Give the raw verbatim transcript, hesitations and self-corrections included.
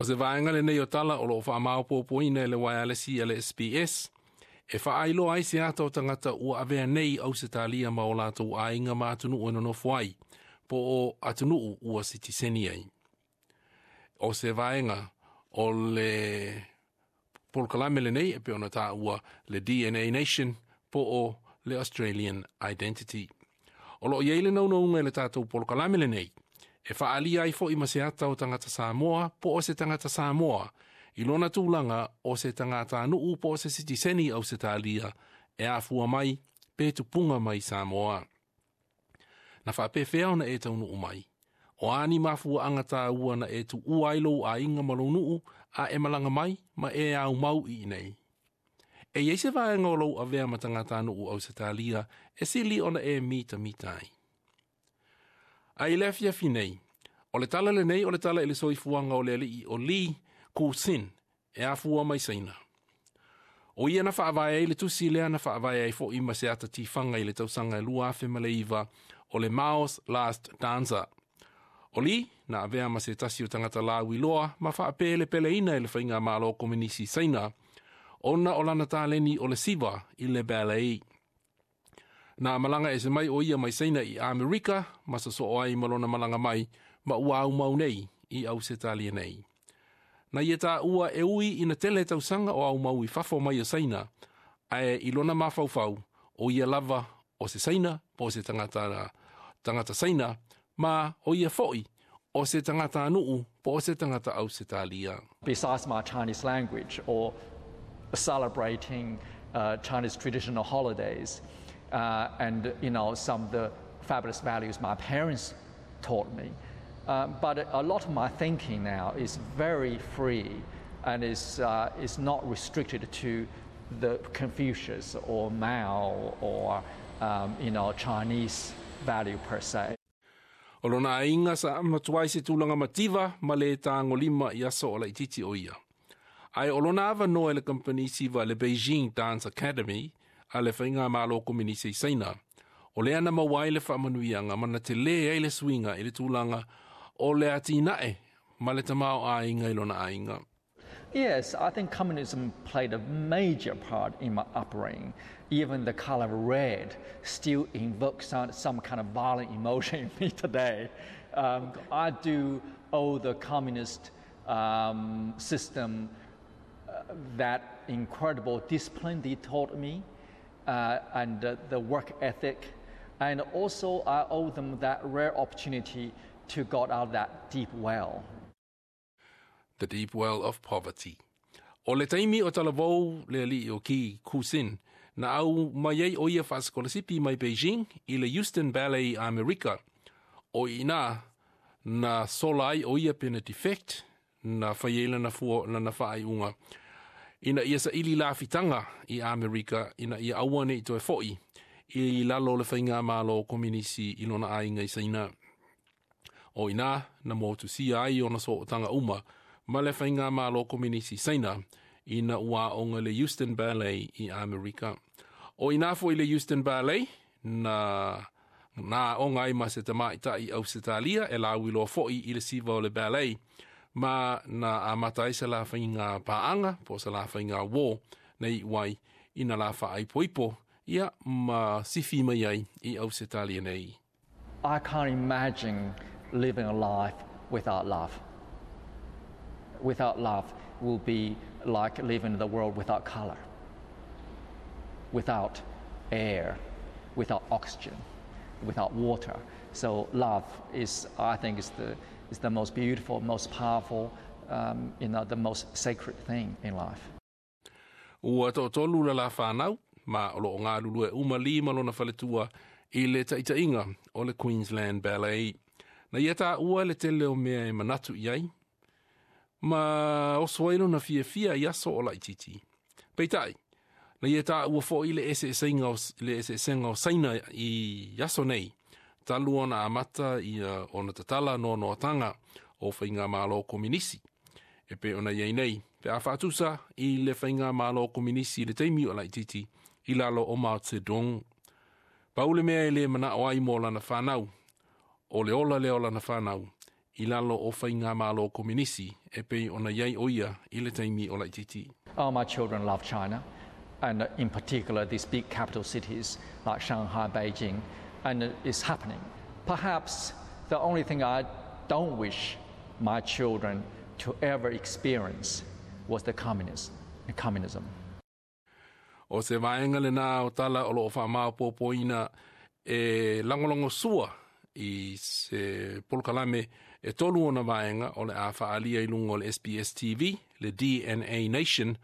O se vaega lenei o tala o loo faamaopoopoina e le uaealesi a le S B S e faailoa ai se ata o tagata ua avea nei Ausetalia ma o latou aiga ma atunuu e nonofo ai, po o atunuu ua sitiseni ai. O se vaega o le polokalame lenei e pei ona taua le D N A Nation po o le Australian Identity. O loo i ai le naunauga i le tatou polokalame lenei e faaalia ai foi ma se ata o tagata Samoa po o se tagata Samoa i lona tulaga o se tagatanuu po o se sitiseni Ausetalia e afua mai pe tupuga mai Samoa. Na faapefea ona e taunuu mai? O a ni mafuaaga taua na e tuua ai lou aiga ma lou nuu a e malaga mai ma e aumau i inei? E i ai se vaega o lou avea ma tagatanuu Ausetalia e sili ona e mitamita ai? A i le afiafi nei, o le tala lenei o le tala i le soifuaga o le alii o Lee Ku-Sin e afua mai Saina. O ia na faavae ai le tusi lea na faavae ai foi ma se ata tifaga i le tausaga e lua afe ma le iva o le Mao's Last Dancer. O Lee na avea ma se tasi o tagata lauiloa ma faapelepeleina e le faigamalo kominisi Saina ona o lana taleni o le siva i le ballet. Na malaga ese mai o ia mai Saina i Amerika ma sosoo ai ma lona malaga mai ma ua aumau nei i Ausetalia nei. Na ia taua e ui ina tele tausaga o aumau i fafo mai o Saina, ae i lona mafaufau, o ia lava o se Saina po o se tagata, tagata Saina, ma o ia foi o se tagatanuu po o se tagata Ausetalia. Besides my Chinese language or celebrating uh, Chinese traditional holidays uh, and you know some of the fabulous values my parents taught me. Um, but a lot of my thinking now is very free and is, uh, is not restricted to the Confucius or Mao or um, you know, Chinese value per se. O lona aiga sa matuai se tulaga mativa ma le tagolima i aso o laititi o ia. Ae o lona avanoa e le kampani siva le Beijing Dance Academy a le faigamalo kominisi i Saina. O lea na maua ai le faamanuiaga ma na telē ai le suiga i le tulaga o le atinae ma le tamaoaiga i lona aiga. Yes, I think communism played a major part in my upbringing. Even the color red still invokes some, some kind of violent emotion in me today. Um, I do owe the communist um, system uh, that incredible discipline they taught me uh, and uh, the work ethic. And also, I owe them that rare opportunity to get out of that deep well. The deep well of poverty. O le taimi o talavou le alii o Ki Kusin, na au mai ai o ia faasikolasipi mai Beijing i le Houston Ballet America. O ina na sola ai o ia pena defect na fai ai lana fua lana faaiuga ina ia saili lafitaga i Amerika ina ia aua nei toe fo'i i lalo o le faigamalo kominisi i lona aiga i Saina. O ina na motusia ai ona sootaga uma ma le faigamalo kominisi Saina ina ua aoga le Houston Ballet i Amerika. O ina foi le Houston Ballet na na aoga ai ma se tamaitai Ausetalia e lauiloa foi i le siva o le ballet ma na amata ai se la faiga paaga po o se la faiga uō na iu ai ina la faaipoipo ia ma sifi mai ai i Ausetalia nei. I can't imagine living a life without love. Without love will be like living in the world without color, without air, without oxygen, without water. So love is, I think, is the, is the most beautiful, most powerful, um, you know, the most sacred thing in life. Ua toatolu la la whanau, ma o loo galulue uma Lee ma lona faletua i le taitaiga o le Queensland Ballet. Na ia taua le tele o mea e manatu i ai, ma oso ai lona fiafia i aso o laititi. Peitai, na ia taua foi le eseesega o, le eseesega o Saina i aso nei, talu ona amata ia ona tatala noanoataga o faigamalo kominisi. E pei ona i ai nei, pe a faatusa i le faigamalo kominisi i le taimi o laititi i lalo o Mao Zedong. Pau le mea e le manao ai mo lana whanau, o le ola lea o lana whanau, I lalo o faigamalo kominisi e pei ona i ai o ia i le taimi o laitiiti. All my children love China, and in particular these big capital cities like Shanghai, Beijing, and it's happening. Perhaps the only thing I don't wish my children to ever experience was the communism. communism. O se vaega lenā o tala o lo o faamaopoopoina e lagolagosua i se polokalame e tolu ona vaega o le a faaalia i luga o le S B S T V, le D N A Nation.